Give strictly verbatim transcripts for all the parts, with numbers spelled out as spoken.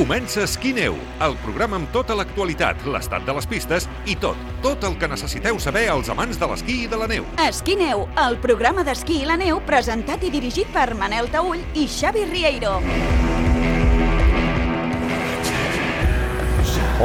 Comença Esquí-Neu, el programa amb tota l'actualitat, l'estat de les pistes i tot, tot el que necessiteu saber als amants de l'esquí i de la neu. Esquí-Neu, el programa d'esquí i la neu presentat i dirigit per Manel Taüll i Xavi Rieiro.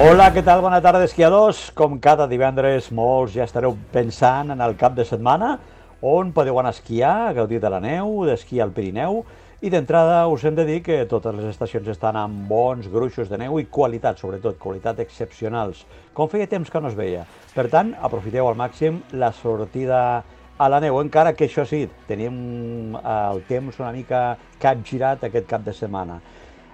Hola, què tal? Bona tarda, esquiadors. Com cada divendres, molts ja estareu pensant en el cap de setmana on podeu anar a esquiar, a gaudir de la neu, d'esquí al Pirineu. I d'entrada us hem de dir que totes les estacions estan amb bons gruixos de neu i qualitat, sobretot, qualitat excepcionals, com feia temps que no es veia. Per tant, aprofiteu al màxim la sortida a la neu, encara que això sí, tenim el temps una mica capgirat aquest cap de setmana.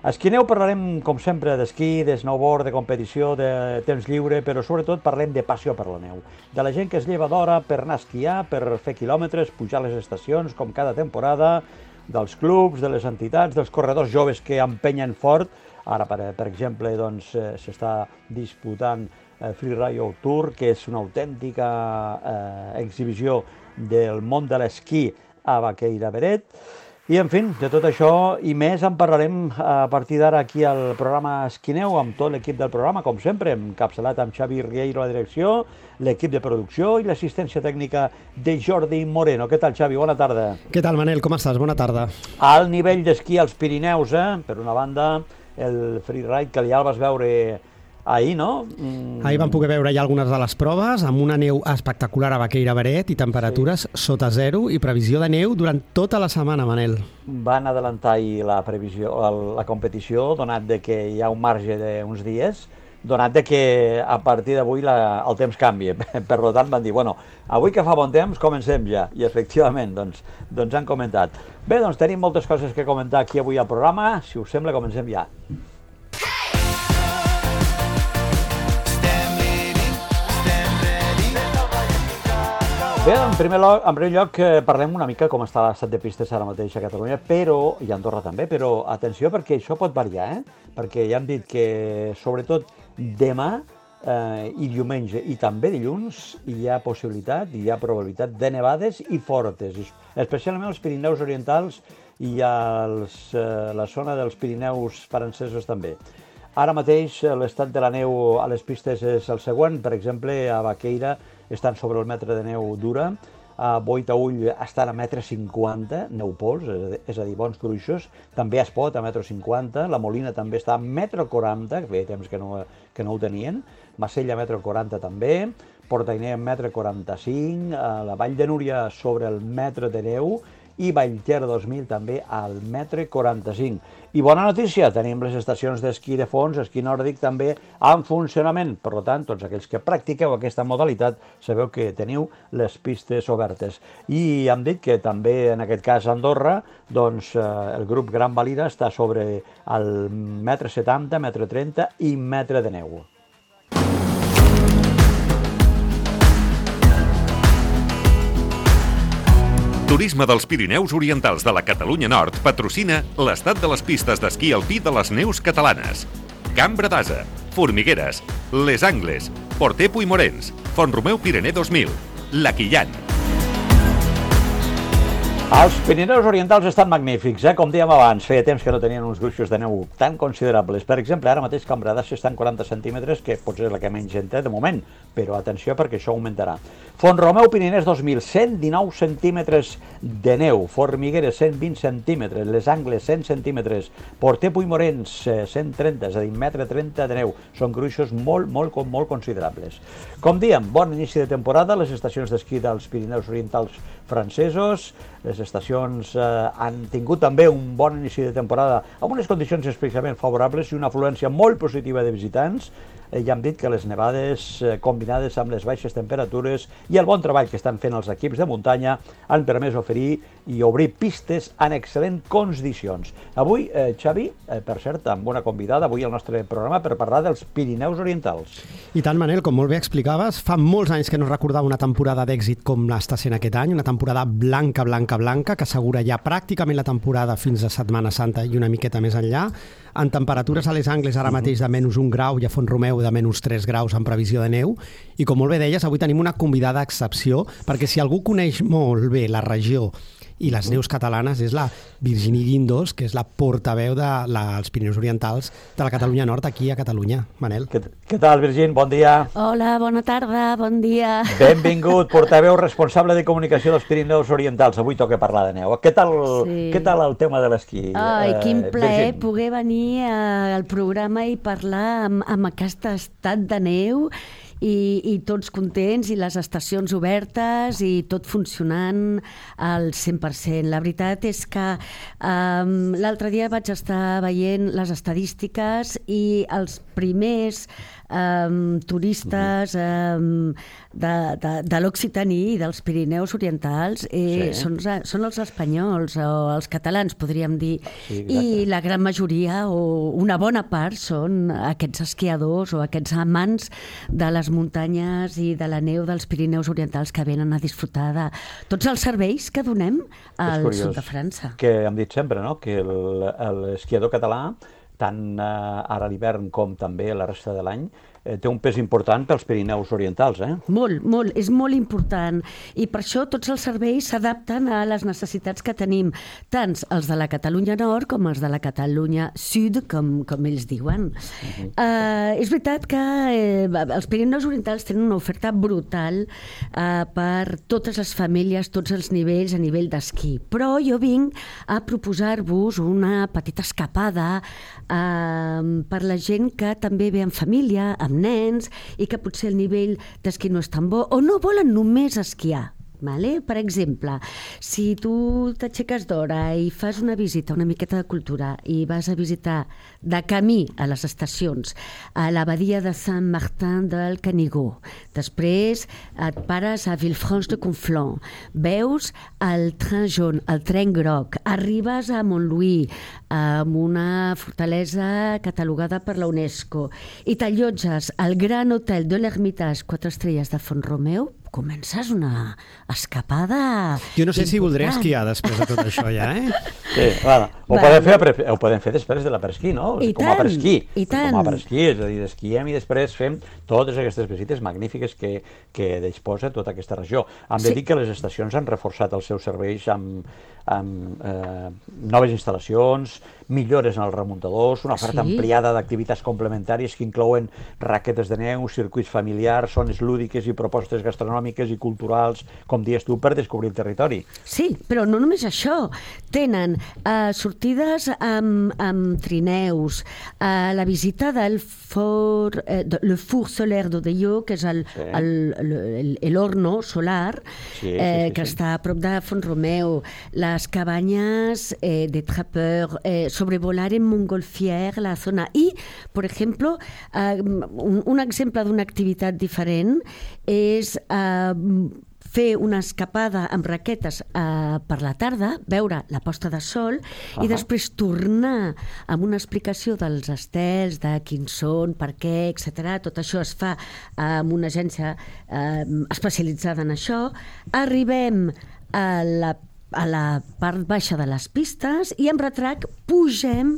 A Esquí-Neu parlarem, com sempre, d'esquí, de snowboard, de competició, de temps lliure, però sobretot parlem de passió per la neu. De la gent que es lleva d'hora per anar a esquiar, per fer quilòmetres, pujar les estacions, com cada temporada, dels clubs, de les entitats, dels corredors joves que empenyen fort. Ara, per, per exemple, doncs, eh, s'està disputant eh, Freeride Tour, que és una autèntica eh, exhibició del món de l'esquí a Baqueira Beret. I, en fi, de tot això i més en parlarem a partir d'ara aquí al programa Esquí-Neu amb tot l'equip del programa, com sempre, encapçalat amb Xavi Rieiro a la direcció, l'equip de producció i l'assistència tècnica de Jordi Moreno. Què tal, Xavi? Bona tarda. Què tal, Manel? Com estàs? Bona tarda. Al nivell d'esquí als Pirineus, eh? Per una banda, el freeride, que ja el vas veure ahir, no? Mm. Ahir vam poder veure ja algunes de les proves, amb una neu espectacular a Baqueira Beret i temperatures sí. sota zero i previsió de neu durant tota la setmana, Manel. Van adelantar ahir la previsió, la competició, donat de que hi ha un marge d'uns dies, donat de que a partir d'avui el temps canvia. Per tant, van dir, bueno, avui que fa bon temps, comencem ja. I efectivament, doncs, doncs han comentat. Bé, doncs tenim moltes coses que comentar aquí avui al programa. Si us sembla, comencem ja. Bé, en primer lloc, en primer lloc parlem una mica com està l'estat de pistes ara mateix a Catalunya, però, i a Andorra també, però atenció perquè això pot variar, eh? Perquè ja hem dit que sobretot demà eh, i diumenge i també dilluns hi ha possibilitat, hi ha probabilitat de nevades i fortes, especialment als Pirineus orientals i a els, eh, la zona dels Pirineus francesos també. Ara mateix l'estat de la neu a les pistes és el següent, per exemple, a Baqueira estan sobre el metre de neu dura, a Boitaüll estan a metre cinquanta, neu pols, és a dir, bons gruixos, també a Espot a metre cinquanta, la Molina també està a metre quaranta, que feia temps que no, que no ho tenien, Macella a metre quaranta també, Portainer a metre quaranta-cinc, la Vall de Núria sobre el metre de neu, i Vallter dos mil també al metre quaranta-cinc. I bona notícia, tenim les estacions d'esquí de fons, esquí nòrdic també en funcionament. Per tant, tots aquells que practiqueu aquesta modalitat sabeu que teniu les pistes obertes. I hem dit que també en aquest cas a Andorra, doncs el grup Gran Valira està sobre el metre setanta, metre trenta i metre de neu. Turisme dels Pirineus Orientals de la Catalunya Nord patrocina l'estat de les pistes d'esquí alpí de les neus catalanes. Cambra d'Asa, Formigueres, Les Angles, Porter Puigmorens, Font-romeu Pirener dos mil, La Quillan. Els Pirineus Orientals estan magnífics, eh? Com dèiem abans, feia temps que no tenien uns gruixos de neu tan considerables. Per exemple, ara mateix Cambra d'Assa estan quaranta centímetres, que potser és la que menys gent té de moment, però atenció perquè això augmentarà. Font-romeu Piriners dos mil, cent dinou centímetres de neu, Formigueres cent vint centímetres, Les Angles cent centímetres, Porter Puigmorens cent trenta, és a dir, metre trenta de neu. Són gruixos molt, molt, molt considerables. Com dèiem, bon inici de temporada, les estacions d'esquí dels Pirineus Orientals francesos, les estacions eh, han tingut també un bon inici de temporada amb unes condicions especialment favorables i una afluència molt positiva de visitants. Eh, ja hem dit que les nevades eh, combinades amb les baixes temperatures i el bon treball que estan fent els equips de muntanya han permès oferir i obrir pistes en excel·lents condicions. Avui, eh, Xavi, eh, per cert, amb una convidada avui al nostre programa per parlar dels Pirineus Orientals. I tant, Manel, com molt bé explicaves, fa molts anys que no recordava una temporada d'èxit com l'està sent aquest any, una temporada blanca, blanca, blanca, que assegura ja pràcticament la temporada fins a Setmana Santa i una miqueta més enllà, en temperatures a Les Angles ara mateix de menys un grau i a Font-romeu de menys tres graus en previsió de neu. I com molt bé deies, avui tenim una convidada excepció, perquè si algú coneix molt bé la regió i les neus catalanes és la Virginie Guindos, que és la portaveu dels la, Pirineus Orientals de la Catalunya Nord, aquí a Catalunya. Manel. Què, què tal, Virgínia? Bon dia. Hola, bona tarda, bon dia. Benvingut, portaveu responsable de comunicació dels Pirineus Orientals. Avui toca parlar de neu. Què tal, sí. què tal el tema de l'esquí? Ai, quin plaer poder venir al programa i parlar amb, amb aquest estat de neu i, i tots contents i les estacions obertes i tot funcionant al cent per cent. La veritat és que um, l'altre dia vaig estar veient les estadístiques i els primers um, turistes um, de, de, de l'Occitaní i dels Pirineus Orientals eh, sí. són, són els espanyols o els catalans, podríem dir. Sí, i la gran majoria o una bona part són aquests esquiadors o aquests amants de les muntanyes i de la neu dels Pirineus Orientals que venen a disfrutar de tots els serveis que donem al sud de França. Que hem dit sempre, no?, que l'esquiador català, tant ara a l'hivern com també la resta de l'any, eh, té un pes important pels Pirineus Orientals, eh? Molt, molt, és molt important. I per això tots els serveis s'adapten a les necessitats que tenim, tant els de la Catalunya Nord com els de la Catalunya Sud, com, com ells diuen. Uh-huh. uh, és veritat que eh, els Pirineus Orientals tenen una oferta brutal uh, per totes les famílies, tots els nivells, a nivell d'esquí. Però jo vinc a proposar-vos una petita escapada uh, per la gent que també ve en família, amb nens, i que potser el nivell d'esquí no és tan bo, o no volen només esquiar. Vale? Per exemple, si tu t'aixeques d'hora i fas una visita, una miqueta de cultura, i vas a visitar de camí a les estacions, a l'abadia de Saint-Martin del Canigó, després et pares a Villefranche-de-Conflent, veus el tren jaune, el tren groc, arribes a Montlouis, amb una fortalesa catalogada per la UNESCO, i t'allotges al Gran Hotel de l'Hermitage quatre estrelles de Font-romeu, comences una escapada... Jo no sé important. Si voldré esquiar després de tot això ja, eh? Sí, bueno, ho, vale. podem fer, ho podem fer després de l'apresquí, no? I com tant, a presquí. I tant. Com a presquí, és a dir, esquiem i després fem totes aquestes visites magnífiques que, que disposa tota aquesta regió. Hem de sí. dir que les estacions han reforçat els seus serveis amb, amb eh, noves instal·lacions, millores en els remuntadors, una oferta sí. ampliada d'activitats complementàries que inclouen raquetes de neu, circuits familiars, zones lúdiques i propostes gastronòmiques i culturals, com dius tu, per descobrir el territori. Sí, però no només això. Tenen uh, sortides amb, amb trineus, uh, la visita del for, uh, de, le four solaire d'Odelló, que és el, sí. el, el, el, el horno solar, sí, sí, eh, sí, que sí. està a prop de Font-romeu, les cabanyes eh, de Trappeur, eh, sobrevolar en Montgolfière la zona. I, per exemple, uh, un, un exemple d'una activitat diferent és uh, fer una escapada amb raquetes uh, per la tarda, veure la posta de sol uh-huh. i després tornar amb una explicació dels estels, de quins són, per què, etcètera. Tot això es fa amb una agència uh, especialitzada en això. Arribem a la a la part baixa de les pistes i amb retrac pugem,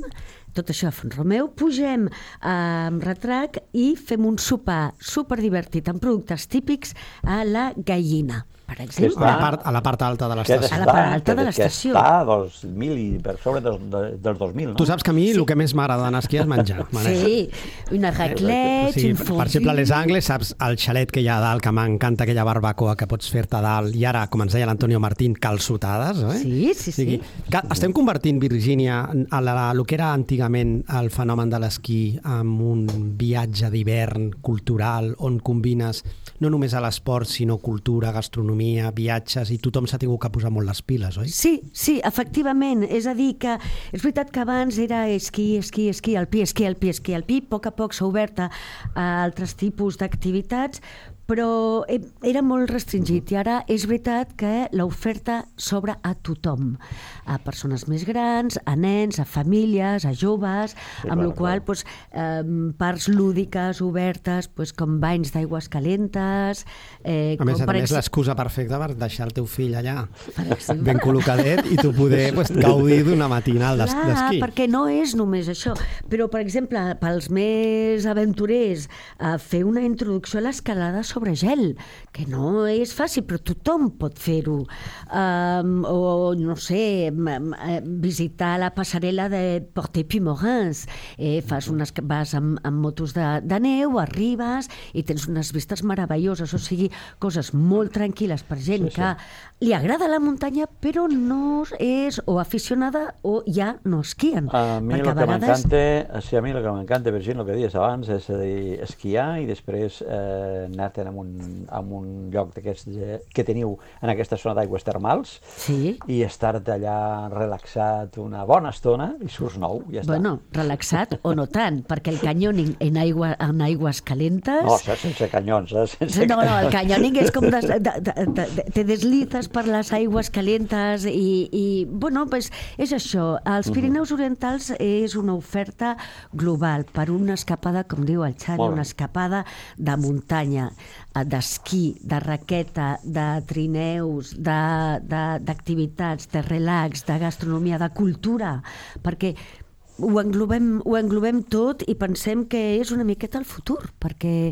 tot això a Font-romeu, pugem amb retrac i fem un sopar superdivertit amb productes típics a la Gallina, per exemple. A la part, a la part alta de l'estació. A la part alta de l'estació. Que està dos mil i per sobre dels, dels dos mil, no? Tu saps que a mi sí. el que més m'agrada d'anar a esquiar és menjar. Sí, una raclette, sí, un fondue... Per exemple, a les Angles, saps el xalet que hi ha a dalt, que m'encanta aquella barbacoa que pots fer-te a dalt, i ara, com ens deia l'Antonio Martín, calçotades, eh? Sí, sí, sí. Que estem convertint, Virgínia, a la, a lo que era antigament el fenomen de l'esquí amb un viatge d'hivern cultural on combines no només a l'esport, sinó cultura, gastronomia, viatges, i tothom s'ha tingut que posar molt les piles, oi? Sí, sí, efectivament. És a dir, que és veritat que abans era esquí, esquí, esquí alpí, esquí alpí, esquí alpí. A poc a poc s'ha obert a altres tipus d'activitats, però era molt restringit i ara és veritat que l'oferta s'obre a tothom, a persones més grans, a nens, a famílies, a joves, sí, amb la qual cosa eh, parts lúdiques obertes, pues, com banys d'aigües calentes. Eh, a més a més, l'excusa perfecta per deixar el teu fill allà ben col·locadet i tu poder pues, gaudir d'una matinal d'esquí. Clar, perquè no és només això, però per exemple, pels més aventurers, eh, fer una introducció a l'escalada sobre gel, que no és fàcil, però tothom pot fer-ho. Um, o, no sé, visitar la passarel·la de Porte-Puymorens. Eh, fas unes, vas amb, amb motos de, de neu, arribes i tens unes vistes meravelloses, o sigui, coses molt tranquil·les per gent sí, sí. que li agrada la muntanya, però no és o aficionada o ja no esquien. A mi el que vegades... m'encanta, sí, a mi el que m'encanta, Virginia, el que dius abans, és a dir, esquiar i després eh, anar-te'n en, un, en un lloc d'aquests que teniu en aquesta zona d'aigües termals sí. i estar-te allà relaxat una bona estona i surts nou, ja està. Bueno, relaxat o no tant, perquè el canyoning en, aigua, en aigües calentes... No, sense canyons, eh? Sense no, no, el canyoning és com de, de, de, de, de, te deslices per les aigües calentes i, i bueno, pues és això. Els Pirineus Orientals és una oferta global per una escapada, com diu el Xavi, una escapada de muntanya, d'esquí, de raqueta, de trineus, d'activitats, de, de, de relax, de gastronomia, de cultura, perquè ho englobem, ho englobem tot i pensem que és una miqueta el futur, perquè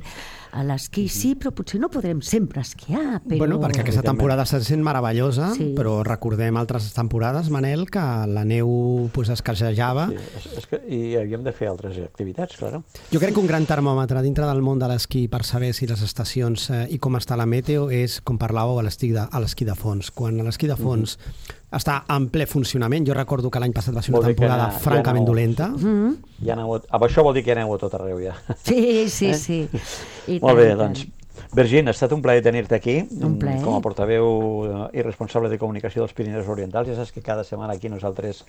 a l'esquí sí, però potser no podrem sempre esquiar. Però... Bueno, perquè aquesta temporada està sent meravellosa, sí. però recordem altres temporades, Manel, que la neu pues, escassejava. Sí, és, és que, I havíem de fer altres activitats, clar. Jo crec que un gran termòmetre dintre del món de l'esquí per saber si les estacions eh, i com està la meteo és, com parlàveu, a l'esquí de, a l'esquí de fons. Quan a l'esquí de fons mm-hmm. està en ple funcionament, jo recordo que l'any passat va ser una temporada ha, francament ja dolenta. Mm-hmm. Ja aneu, això vol dir que aneu a tot arreu, ja. Sí, sí, eh? sí. I Molt bé, doncs, Virgin, ha estat un plaer tenir-te aquí, un plaer. Com a portaveu i responsable de comunicació dels Pirineus Orientals. Ja saps que cada setmana aquí nosaltres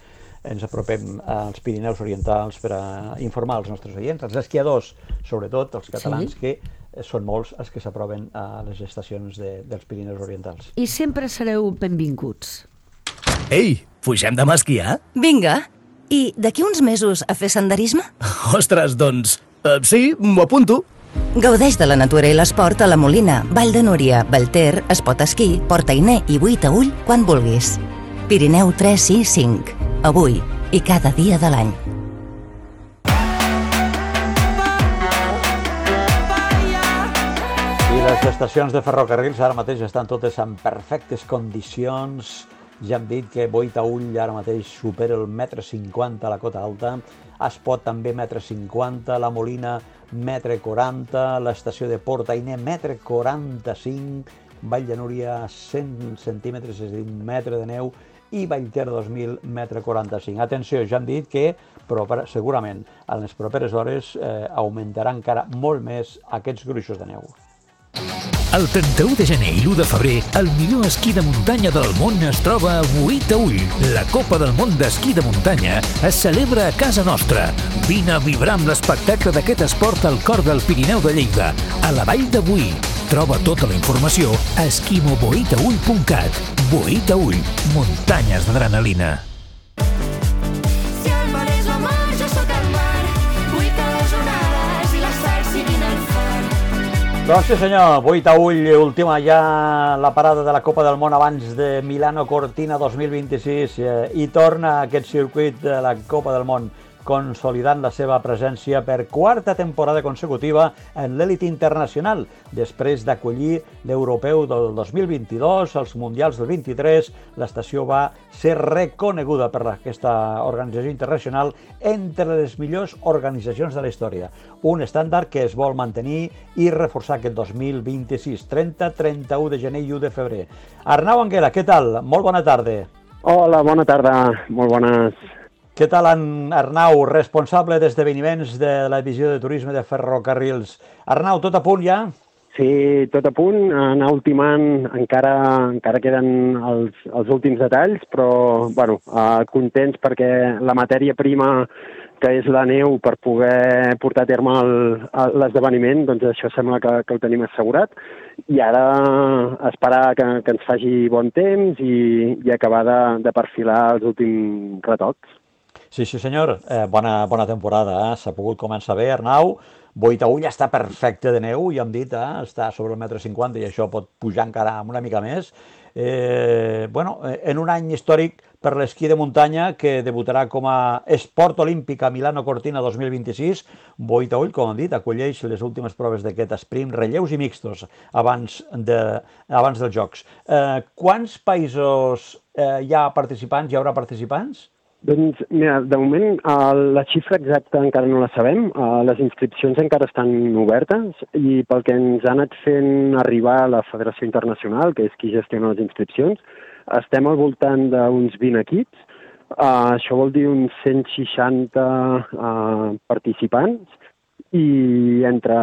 ens apropem als Pirineus Orientals per a informar els nostres oients, els esquiadors, sobretot els catalans, sí. que són molts els que s'aproven a les estacions de, dels Pirineus Orientals. I sempre sereu benvinguts. Ei, pugem demà a esquiar? Vinga. I d'aquí uns mesos a fer senderisme? Ostres, doncs, uh, sí, m'ho apunto. Gaudeix de la natura i l'esport a la Molina, Vall de Núria, Vallter, Espot Esquí, Portainer i Buitaüll quan vulguis. Pirineu tres, sis, cinc. Avui i cada dia de l'any. I les estacions de ferrocarrils ara mateix estan totes en perfectes condicions. Ja hem dit que Buitaüll ara mateix supera el metre cinquanta a la cota alta, Espot també metre cinquanta, la Molina metre quaranta, l'estació de Portainer metre quaranta-cinc, Vall de Núria cent centímetres, és a dir, un metre de neu, i Vallter dos mil metre quaranta-cinc. Atenció, ja hem dit que però segurament en les properes hores eh, augmentarà encara molt més aquests gruixos de neu. El trenta-u de gener i l'u de febrer, el millor esquí de muntanya del món es troba a Buitaüll. La Copa del Món d'Esquí de Muntanya es celebra a casa nostra. Vine a vibrar amb l'espectacle d'aquest esport al cor del Pirineu de Lleida, a la Vall de Boí. Troba tota la informació a esquimo boitaull punt cat. Buitaüll, muntanyes d'adrenalina. Si el mar és la mar, jo sóc el mar. Vull que les onades i la sal siguin el far. Doncs sí senyor, Buitaüll, última ja la parada de la Copa del Món abans de Milano Cortina dos mil vint-i-sis eh, i torna aquest circuit de la Copa del Món consolidant la seva presència per quarta temporada consecutiva en l'elit internacional, després d'acollir l'Europeu del dos mil vint-i-dos, els Mundials del vint-i-tres, l'estació va ser reconeguda per aquesta organització internacional entre les millors organitzacions de la història. Un estàndard que es vol mantenir i reforçar aquest dos mil vint-i-sis, trenta, trenta-u de gener i u de febrer. Arnau Anguera, què tal? Molt bona tarda. Hola, bona tarda, molt bones. Què tal, en Arnau, responsable d'esdeveniments de la divisió de turisme de ferrocarrils? Arnau, tot a punt ja? Sí, tot a punt, anar ultimant, encara, encara queden els, els últims detalls, però bueno, eh, contents perquè la matèria prima que és la neu per poder portar a terme l'esdeveniment, doncs això sembla que, que ho tenim assegurat, i ara esperar que, que ens faci bon temps i, i acabar de, de perfilar els últims retocs. Sí, sí senyor, eh, bona, bona temporada, eh? S'ha pogut començar bé, Arnau. Buitaüll ja està perfecte de neu, ja hem dit, eh? Està sobre el metre cinquanta i això pot pujar encara una mica més. Eh, bueno, en un any històric per l'esquí de muntanya que debutarà com a esport olímpic a Milano Cortina dos mil vint-i-sis, Boitaüll, com hem dit, acolleix les últimes proves d'aquest sprint, relleus i mixtos abans, de, abans dels Jocs. Eh, quants països eh, hi ha participants, hi haurà participants? Doncs, mira, de moment uh, la xifra exacta encara no la sabem, uh, les inscripcions encara estan obertes i pel que ens ha anat fent arribar la Federació Internacional, que és qui gestiona les inscripcions, estem al voltant d'uns vint equips, uh, això vol dir uns cent seixanta uh, participants i entre,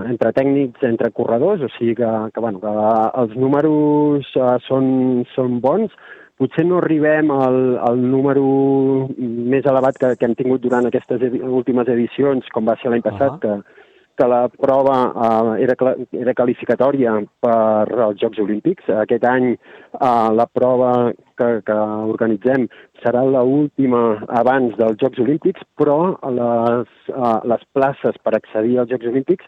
entre tècnics, entre corredors, o sigui que, que, bueno, que els números uh, són, són bons. Potser no arribem al, al número més elevat que, que hem tingut durant aquestes edi últimes edicions, com va ser l'any passat, uh -huh. que, que la prova uh, era, era qualificatòria per als Jocs Olímpics. Aquest any uh, la prova que, que organitzem serà l'última abans dels Jocs Olímpics, però les, uh, les places per accedir als Jocs Olímpics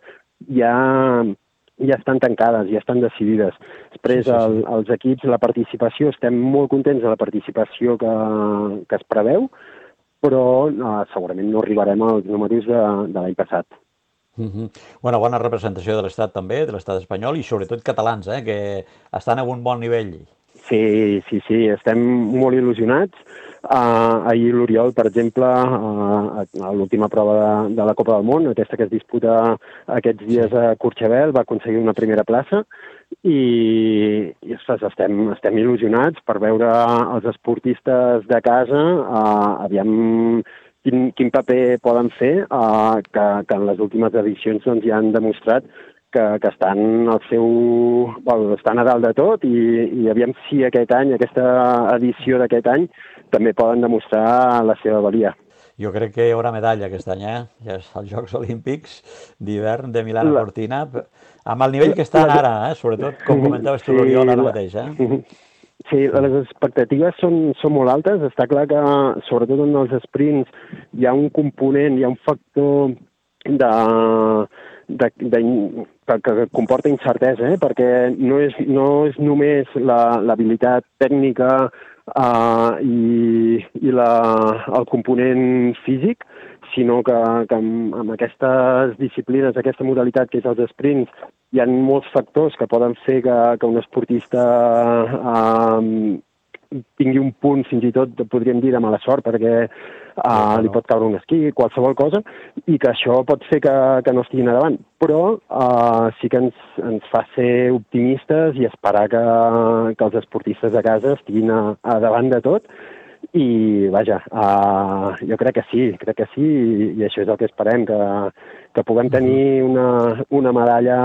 ja... ja estan tancades, ja estan decidides. Després, sí, sí, sí. El, els equips, la participació, estem molt contents de la participació que, que es preveu, però no, segurament no arribarem als números de, de l'any passat. Uh-huh. Bueno, bona representació de l'Estat també, de l'Estat espanyol, i sobretot catalans, eh, que estan a un bon nivell. Sí, sí, sí, estem molt il·lusionats. Uh, ahir l'Oriol, per exemple, uh, a l'última prova de, de la Copa del Món, aquesta que es disputa aquests dies a Courchevel, va aconseguir una primera plaça i, i ostres, estem, estem il·lusionats per veure els esportistes de casa, uh, aviam quin, quin paper poden fer, uh, que, que en les últimes edicions doncs, ja han demostrat que, que estan al seu... Bueno, estan a dalt de tot i, i aviam si aquest any, aquesta edició d'aquest any, també poden demostrar la seva valia. Jo crec que hi haurà medalla aquest any, eh? Ja és els Jocs Olímpics d'hivern de Milano Cortina, amb el nivell que estan ara, eh? Sobretot, com comentaves tu, l'Oriol, ara mateix, eh? Sí, les expectatives són, són molt altes. Està clar que, sobretot en els sprints, hi ha un component, hi ha un factor de... De, de, que, que comporta incertesa, eh? Perquè no és, no és només l'habilitat la, tècnica uh, i, i la, el component físic, sinó que, que amb, amb aquestes disciplines, aquesta modalitat que és els sprints, hi ha molts factors que poden fer que, que un esportista uh, tingui un punt, fins i tot, podríem dir, de mala sort, perquè uh, li pot caure un esquí, qualsevol cosa, i que això pot fer que, que no estiguin a davant. Però uh, sí que ens, ens fa ser optimistes i esperar que, que els esportistes de casa estiguin a, a davant de tot. I, vaja, uh, jo crec que sí, crec que sí, i, i això és el que esperem, que, que puguem tenir una, una medalla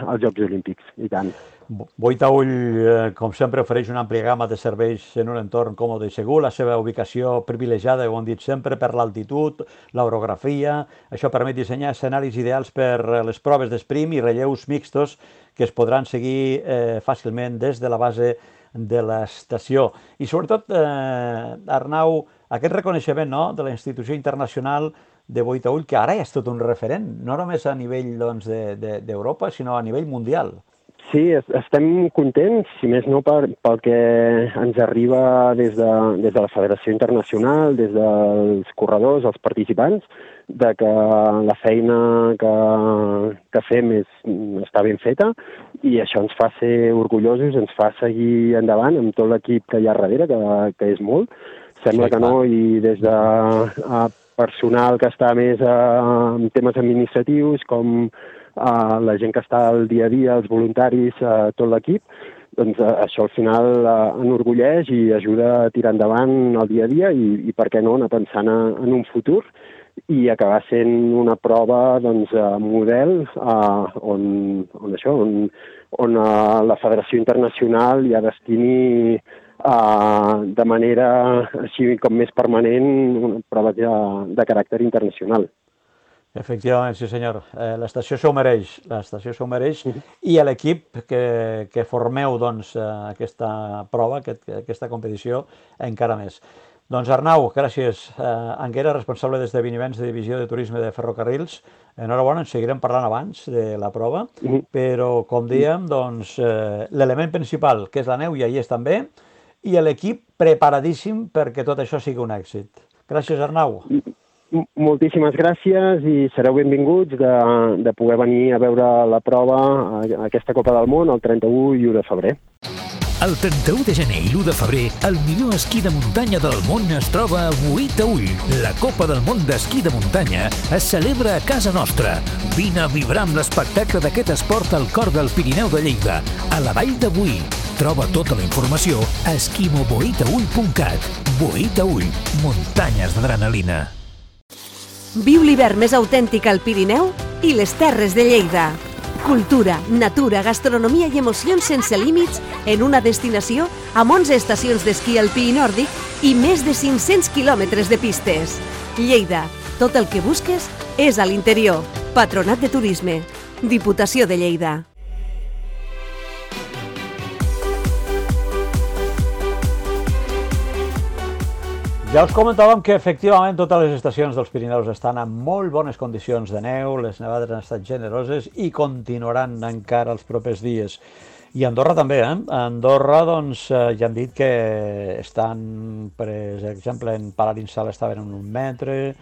als Jocs Olímpics, i tant. Boitaüll, eh, com sempre, ofereix una àmplia gamma de serveis en un entorn còmode i segur. La seva ubicació privilegiada, ho hem dit sempre, per l'altitud, l'orografia. Això permet dissenyar escenaris ideals per les proves d'esprint i relleus mixtos que es podran seguir eh, fàcilment des de la base de l'estació. I sobretot, eh, Arnau, aquest reconeixement, no?, de la institució internacional de Boitaüll, que ara ja és tot un referent, no només a nivell doncs, d'Europa, sinó a nivell mundial. Sí, estem contents, si més no per, pel que ens arriba des de, des de la Federació Internacional, des dels corredors, els participants, de que la feina que, que fem és, està ben feta i això ens fa ser orgullosos, ens fa seguir endavant amb tot l'equip que hi ha darrere, que, que és molt. Sembla sí, que no, i des de a personal que està més a, en temes administratius, com Uh, la gent que està al dia a dia, els voluntaris, uh, tot l'equip, doncs uh, això al final uh, enorgulleix i ajuda a tirar endavant el dia a dia i, i per què no, anar pensant a, en un futur i acabar sent una prova doncs, uh, model uh, on, on, això, on, on uh, la Federació Internacional ja destini uh, de manera així com més permanent una prova de, de caràcter internacional. Efectivament, sí senyor. Eh, l'estació s'ho mereix, l'estació s'ho mereix i l'equip que, que formeu doncs, aquesta prova, aquest, aquesta competició, encara més. Doncs Arnau, gràcies. Eh, Anguera, responsable d'esdeveniments de divisió de turisme de ferrocarrils. Enhorabona, en seguirem parlant abans de la prova, però com dèiem, doncs, eh, l'element principal, que és la neu, i ahí és també, i l'equip preparadíssim perquè tot això sigui un èxit. Gràcies, Arnau. Moltíssimes gràcies i sereu benvinguts de, de poder venir a veure la prova a aquesta Copa del Món el trenta-u i u de febrer. El trenta-u de gener i l'u de febrer, el millor esquí de muntanya del món es troba a Boí Taüll. La Copa del Món d'Esquí de Muntanya es celebra a casa nostra. Vine a vibrar amb l'espectacle d'aquest esport al cor del Pirineu de Lleida, a la vall de Boí. Troba tota la informació a esquimo boí taüll punt cat. Boí Taüll, muntanyes d'adrenalina. Viu l'hivern més autèntic al Pirineu i les Terres de Lleida. Cultura, natura, gastronomia i emocions sense límits en una destinació amb onze estacions d'esquí alpí i nòrdic i més de cinc-cents quilòmetres de pistes. Lleida, tot el que busques és a l'interior. Patronat de Turisme. Diputació de Lleida. Ja us comentàvem que efectivament totes les estacions dels Pirineus estan en molt bones condicions de neu, les nevades han estat generoses i continuaran encara els propers dies. I Andorra també, eh? A Andorra, doncs, ja han dit que estan, per exemple, en Palarinsal estaven en un metre,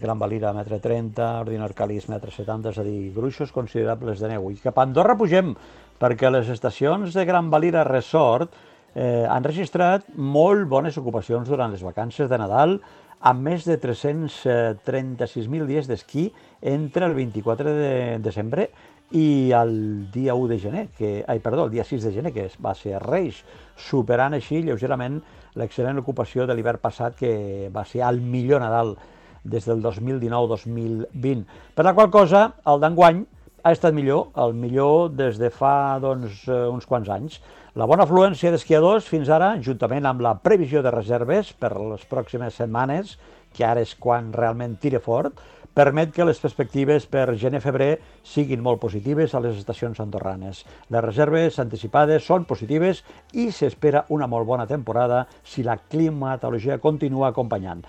Gran Valira a metre trenta, Ordino Arcalís metre setanta, és a dir, gruixos considerables de neu. I cap a Andorra pugem, perquè les estacions de Gran Valira Resort Eh, han registrat molt bones ocupacions durant les vacances de Nadal, amb més de tres-cents trenta-sis mil dies d'esquí entre el vint-i-quatre de desembre i el dia u de gener, que, ai, perdó, el dia sis de gener, que va ser Reis, superant així lleugerament l'excel·lent ocupació de l'hivern passat, que va ser el millor Nadal des del dos mil dinou dos mil vint. Per la qual cosa, el d'enguany ha estat millor, el millor des de fa doncs, uns quants anys. La bona afluència d'esquiadors fins ara, juntament amb la previsió de reserves per les pròximes setmanes, que ara és quan realment tira fort, permet que les perspectives per gener-febrer siguin molt positives a les estacions andorranes. Les reserves anticipades són positives i s'espera una molt bona temporada si la climatologia continua acompanyant.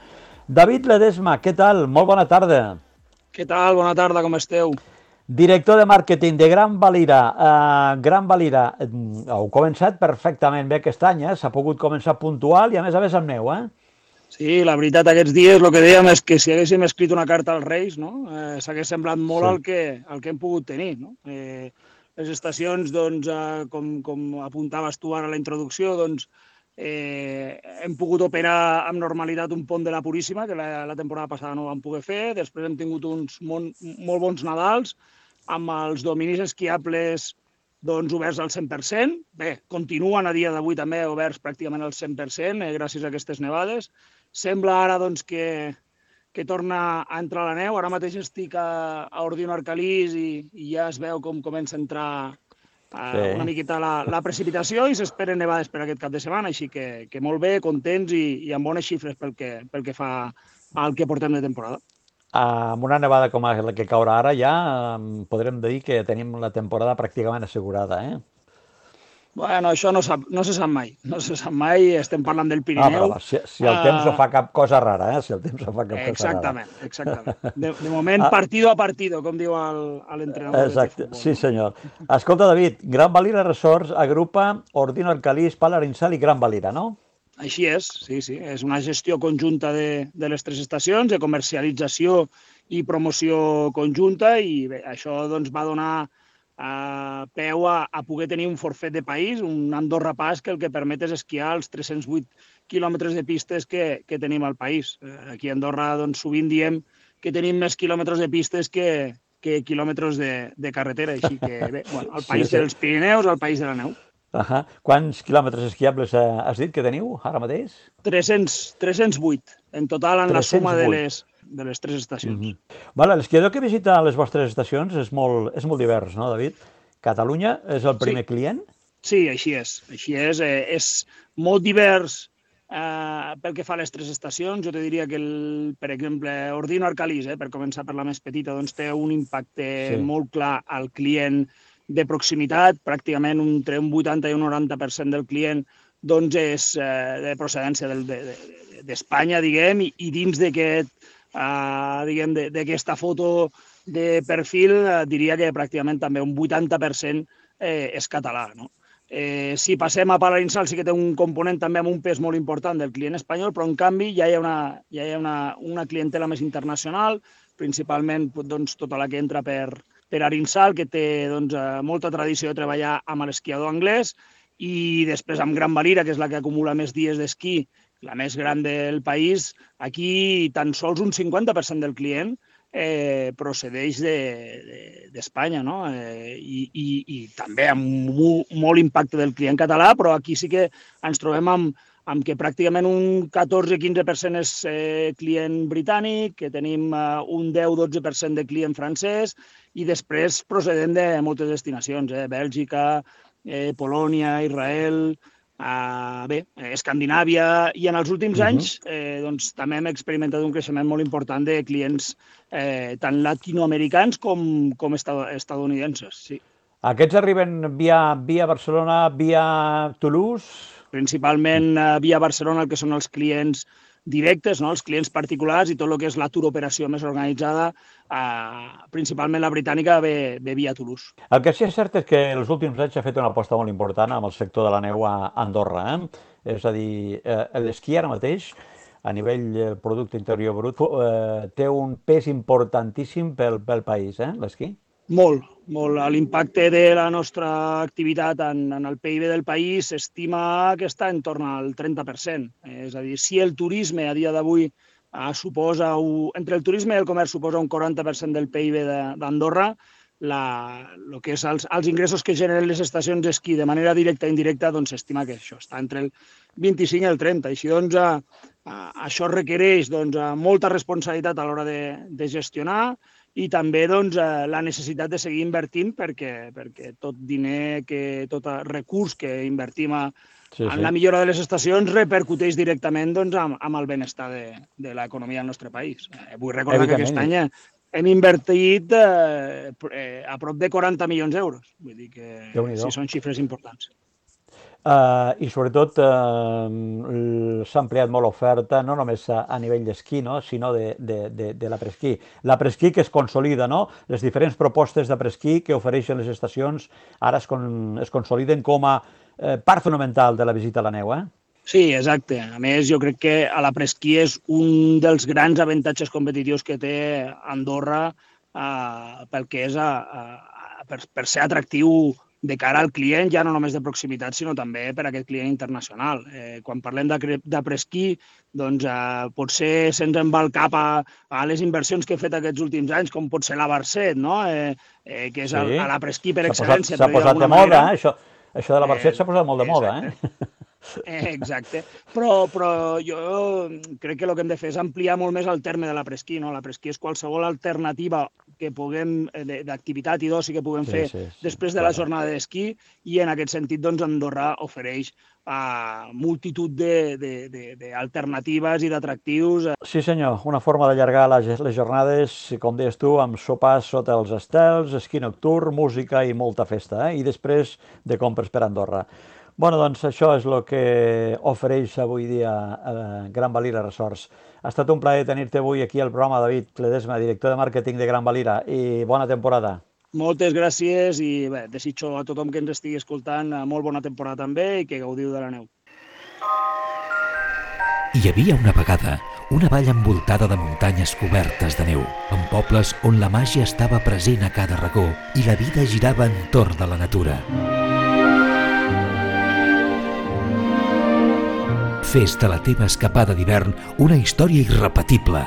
David Ledesma, què tal? Molt bona tarda. Què tal? Bona tarda, com esteu? Director de màrqueting de Gran Valira. Uh, Gran Valira, uh, heu començat perfectament bé aquest any, eh? S'ha pogut començar puntual i a més a més amb neu, eh? Sí, la veritat, aquests dies el que dèiem és que si haguéssim escrit una carta als Reis, no? eh, s'hagués semblat molt sí. al, que, al que hem pogut tenir. No? Eh, les estacions, doncs, eh, com, com apuntaves tu ara a la introducció, doncs, eh, hem pogut operar amb normalitat un pont de la Puríssima, que la, la temporada passada no ho vam poder fer. Després hem tingut uns mon, molt bons Nadals, amb els dominis esquiables doncs, oberts al cent per cent. Bé, continuen a dia d'avui també oberts pràcticament al cent per cent, eh, gràcies a aquestes nevades. Sembla ara doncs, que, que torna a entrar la neu. Ara mateix estic a, a Ordino Arcalís i, i ja es veu com comença a entrar a, sí. una miqueta la, la precipitació i s'esperen nevades per aquest cap de setmana, així que, que molt bé, contents i, i amb bones xifres pel que, pel que fa al que portem de temporada. Amb una nevada com la que caurà ara ja podrem dir que tenim la temporada pràcticament assegurada, eh? Bueno, això no, sap, no se sap mai, no se sap mai, estem parlant del Pirineu. Ah, si, si el temps no fa cap cosa rara, eh? Si el temps no fa cap exactament, cosa rara. Exactament, de, de moment partido a partido, com diu l'entrenador. Exacte, sí senyor. Escolta, David, Gran Valira Resorts agrupa Ordino Arcalís, Palarinsal i Gran Valira, no? Així és, sí, sí. És una gestió conjunta de, de les tres estacions, de comercialització i promoció conjunta, i bé, això doncs, va donar eh, peu a, a poder tenir un forfet de país, un Andorra Pass, que el que permet és esquiar els tres-cents vuit quilòmetres de pistes que, que tenim al país. Eh, aquí a Andorra doncs, sovint diem que tenim més quilòmetres de pistes que, que quilòmetres de, de carretera, així que bé, bueno, el país sí, sí. dels Pirineus, el país de la neu. Uh-huh. Quants quilòmetres esquiables has dit que teniu ara mateix? tres-cents, tres-cents vuit, en total en la suma de les, de les tres estacions. Uh-huh. Vale, l'esquiador que visita les vostres estacions és molt, és molt divers, no, David? Catalunya és el primer sí. client? Sí, així és. Així és. Eh, és molt divers eh, pel que fa a les tres estacions. Jo te diria que, el, per exemple, Ordino Arcalís, eh, per començar per la més petita, doncs té un impacte sí. molt clar al client de proximitat, pràcticament entre un vuitanta i un noranta per cent del client doncs és eh, de procedència del, de, de, d'Espanya, diguem, i, i dins d'aquest, uh, diguem, d'aquesta foto de perfil, uh, diria que pràcticament també un vuitanta per cent eh, és català, no? Eh, si passem a Palarinsal sí que té un component també amb un pes molt important del client espanyol, però en canvi ja hi ha una, ja hi ha una, una clientela més internacional, principalment doncs, tota la que entra per, per Arinsal, que té doncs, molta tradició de treballar amb l'esquiador anglès, i després amb Gran Valira, que és la que acumula més dies d'esquí, la més gran del país. Aquí tan sols un cinquanta per cent del client Eh, procedeix d'Espanya, de, de, no? Eh, i, i, i també amb molt, molt impacte del client català, però aquí sí que ens trobem amb, amb que pràcticament un catorze quinze per cent és eh, client britànic, que tenim eh, un deu dotze per cent de client francès, i després procedent de moltes destinacions, eh, Bèlgica, eh, Polònia, Israel, Uh, bé, Escandinàvia, i en els últims uh-huh. anys eh, doncs, també hem experimentat un creixement molt important de clients eh, tant latinoamericans com, com estadounidenses. Sí. Aquests arriben via, via Barcelona, via Toulouse? Principalment uh, via Barcelona, el que són els clients directes, no? Els clients particulars, i tot el que és la tour operació més organitzada, eh, principalment la britànica, ve, ve via Toulouse. El que sí és cert és que els últims anys s'ha fet una aposta molt important amb el sector de la neu a Andorra. Eh? És a dir, eh, l'esquí ara mateix, a nivell del producte interior brut, eh, té un pes importantíssim pel, pel país, eh, l'esquí? Molt, molt. L'impacte de la nostra activitat en, en el P I B del país s'estima que està en torn al trenta per cent. És a dir, si el turisme a dia d'avui eh, suposa, entre el turisme i el comerç suposa un quaranta per cent del P I B d'Andorra, el que és els, els ingressos que generen les estacions d'esquí de manera directa i indirecta, doncs s'estima que això està entre el vint-i-cinc i el trenta. Així doncs, eh, eh, això requereix doncs, molta responsabilitat a l'hora de, de gestionar, i també doncs, la necessitat de seguir invertint perquè, perquè tot diner, que, tot recurs que invertim a, sí, sí. en la millora de les estacions repercuteix directament doncs, amb, amb el benestar de, de l'economia del nostre país. Eh, vull recordar que aquest any hem invertit eh, a prop de quaranta milions d'euros. Vull dir que sí, són xifres importants. Uh, I sobretot uh, s'ha ampliat molt l'oferta, no només a, a nivell d'esquí, no? sinó de, de, de, de l'apresquí. L'apresquí que es consolida, no? Les diferents propostes d'apresquí que ofereixen les estacions ara es, con, es consoliden com a eh, part fonamental de la visita a la neu, eh? Sí, exacte. A més, jo crec que a l'apresquí és un dels grans avantatges competitius que té Andorra eh, pel que és a, a, per, per ser atractiu de cara al client, ja no només de proximitat, sinó també per a aquest client internacional. Eh, quan parlem d'apresquí, doncs eh, potser se'ns en va el cap a, a les inversions que he fet aquests últims anys, com pot ser la Barcet, no? eh, eh, que és sí. l'apresquí per excel·lència. S'ha posat, posat de moda, eh? això, això de la Barcet eh, s'ha posat molt de moda. Eh? Eh, exacte, però, però jo crec que el que hem de fer és ampliar molt més el terme de l'apresquí, no? L'apresquí és qualsevol alternativa que puguem, d'activitat i d'oci que puguem sí, fer sí, sí, després de clar. la jornada d'esquí, i en aquest sentit doncs, Andorra ofereix uh, multitud d'alternatives i d'atractius. Sí senyor, una forma d'allargar les, les jornades, com deies tu, amb sopars sota els estels, esquí nocturn, música i molta festa, eh? I després de compres per Andorra. Bueno, doncs això és el que ofereix avui dia eh, Gran Valira Resorts. Ha estat un plaer tenir-te avui aquí al programa, David Ledesma, director de màrqueting de Gran Valira, i bona temporada. Moltes gràcies i bé, desitjo a tothom que ens estigui escoltant molt bona temporada també i que gaudiu de la neu. Hi havia una vegada una vall envoltada de muntanyes cobertes de neu, amb pobles on la màgia estava present a cada racó i la vida girava entorn de la natura. Fes de la teva escapada d'hivern una història irrepetible.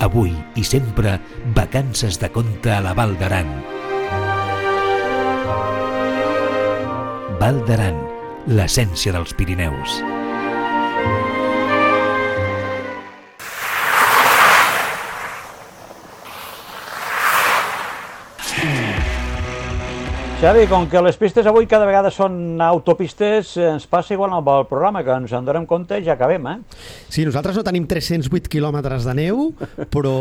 Avui i sempre, vacances de conte a la Val d'Aran. Val d'Aran, l'essència dels Pirineus. Xavi, com que les pistes avui cada vegada són autopistes, ens passa igual amb el programa, que ens en donem compte i ja acabem, eh? Sí, nosaltres no tenim tres-cents vuit quilòmetres de neu, però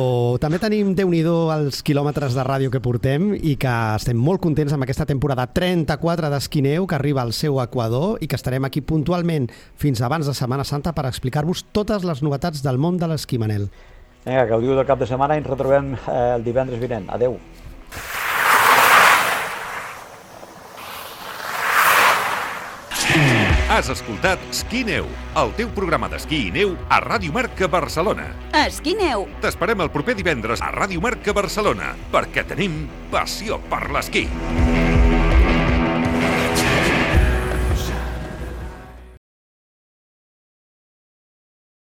també tenim, Déu-n'hi-do, els quilòmetres de ràdio que portem i que estem molt contents amb aquesta temporada trenta-quatre d'esquí-neu que arriba al seu equador i que estarem aquí puntualment fins abans de Setmana Santa per explicar-vos totes les novetats del món de l'esquí, Manel. Vinga, que gaudiu del cap de setmana i ens retrobem eh, el divendres vinent. Adeu. Has escoltat Esquí Neu, el teu programa d'esquí i neu a Ràdio Marca Barcelona. Esquí Neu. T'esperem el proper divendres a Ràdio Marca Barcelona, perquè tenim passió per l'esquí.